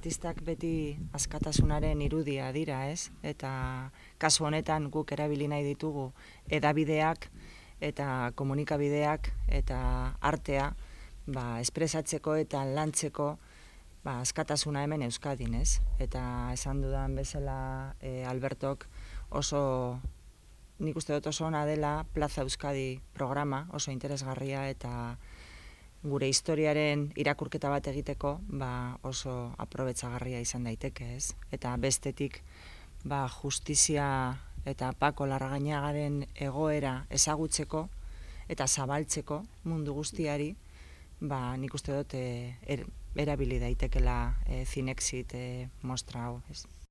artistak beti askatasunaren irudia dira, ez? Eta kasu honetan guk erabili nahi ditugu hedabideak eta komunikabideak eta artea espresatzeko eta lantzeko askatasuna hemen Euskadin, ez? Eta esan dudan bezala Albertok nik uste dut oso ona dela Plaza Euskadi programa, oso interesgarria eta gure historiaren irakurketa bat egiteko oso aprobetxagarria izan daiteke, ez? Eta bestetik justizia eta Pako Larrañagaren egoera ezagutzeko eta zabaltzeko mundu guztiari, nik uste dut erabili daitekela Zinexit mostra hau, ez?